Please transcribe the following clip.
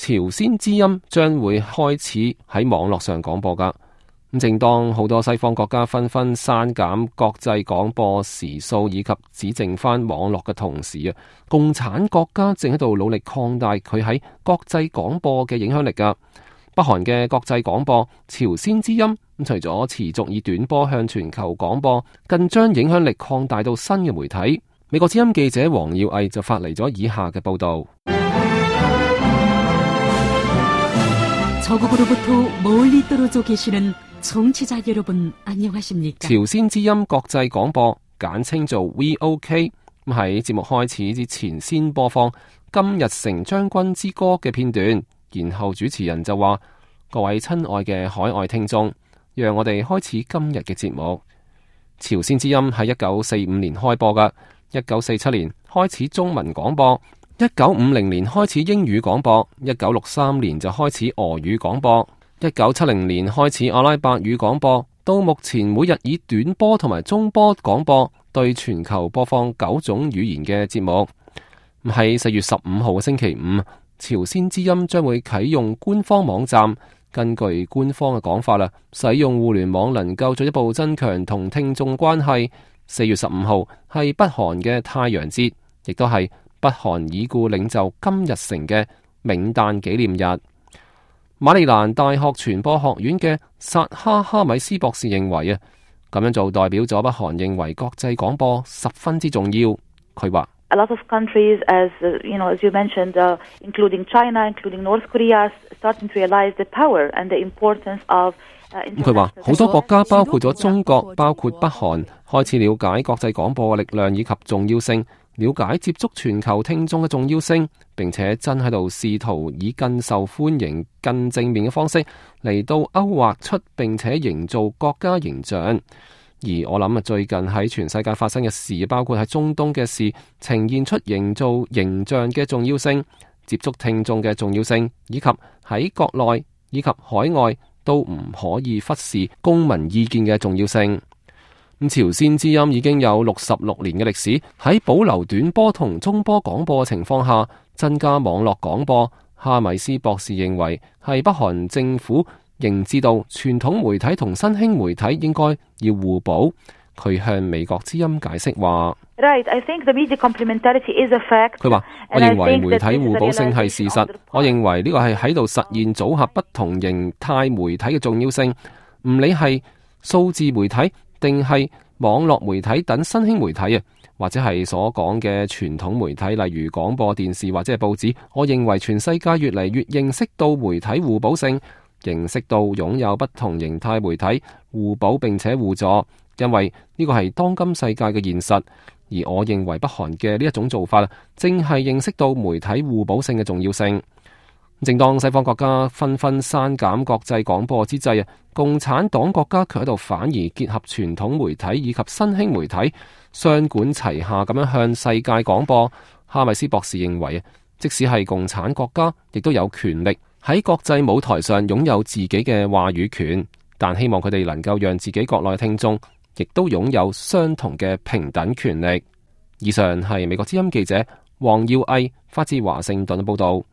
朝鮮之音將會開始喺網絡上廣播噶。咁正當好多西方國家紛紛刪減國際廣播時數以及只剩翻網絡嘅同時啊，共產國家正喺度努力擴大佢喺國際廣播嘅影響力噶。北韓嘅國際廣播朝鮮之音，除咗持續以短波向全球廣播，更將影響力擴大到新嘅媒體。美國之音記者黃耀毅就發嚟咗以下嘅報道。朝鮮之音國際廣播簡稱做 VOK， 喺節目開始之前先播放金日成將軍之歌嘅片段，然後主持人就話：各位親愛嘅海外聽眾，讓我哋開始今日嘅節目。朝鮮之音喺1945年開播噶，1947年開始中文廣播，1950年開始英語廣播，1963年就開始俄語廣播，1970年開始阿拉伯語廣播，到目前每日以短波同埋中波廣播對全球播放9種語言嘅節目。喺4月15號嘅星期五，朝鮮之音將會啟用官方網站。根據官方嘅講法啦，使用互聯網能夠進一步增強同聽眾關係。4月15號係北韓嘅太陽節，亦都係北韓已故領袖金日成嘅冥誕紀念日。馬里蘭大學傳播學院嘅薩哈米斯博士認為啊，咁樣做代表咗北韓認為國際廣播十分之重要。佢話：A lot of countries, as you mentioned, including China, including North Korea, starting to realize the power and the importance of。佢話好多國家，包括咗中國，包括北韓，開始了解國際廣播嘅力量以及重要性，了解接觸全球聽眾嘅重要性，並且真喺度試圖以更受歡迎、更正面嘅方式嚟到勾畫出並且營造國家形象。而我諗最近喺全世界發生嘅事，包括喺中東嘅事，呈現出營造形象嘅重要性、接觸聽眾嘅重要性，以及喺國內以及海外都唔可以忽視公民意見嘅重要性。朝鮮之音已經有66年嘅歷史，喺保留短波同中波廣播嘅情況下，增加網絡廣播。哈米斯博士認為係北韓政府認知到傳統媒體同新興媒體應該要互補。佢向美國之音解釋話：佢話我認為媒體互補性係事實，我認為呢個係喺度實現組合不同形態媒體嘅重要性。唔理係數字媒體定係網絡媒體等新興媒體啊，或者係所講嘅傳統媒體，例如廣播電視或者係報紙，我認為全世界越嚟越認識到媒體互補性，認識到擁有不同形態媒體互補並且互助，因為呢個係當今世界嘅現實。而我認為北韓嘅呢一種做法正係認識到媒體互補性嘅重要性。正當西方國家紛紛刪減國際廣播之際啊，共產黨國家卻喺度反而結合傳統媒體以及新興媒體，雙管齊下咁樣向世界廣播。哈米斯博士認為啊，即使係共產國家，亦都有權力喺國際舞台上擁有自己嘅話語權，但希望佢哋能夠讓自己國內聽眾亦都擁有相同嘅平等權力。以上係美國之音記者黃耀毅發自華盛頓嘅報道。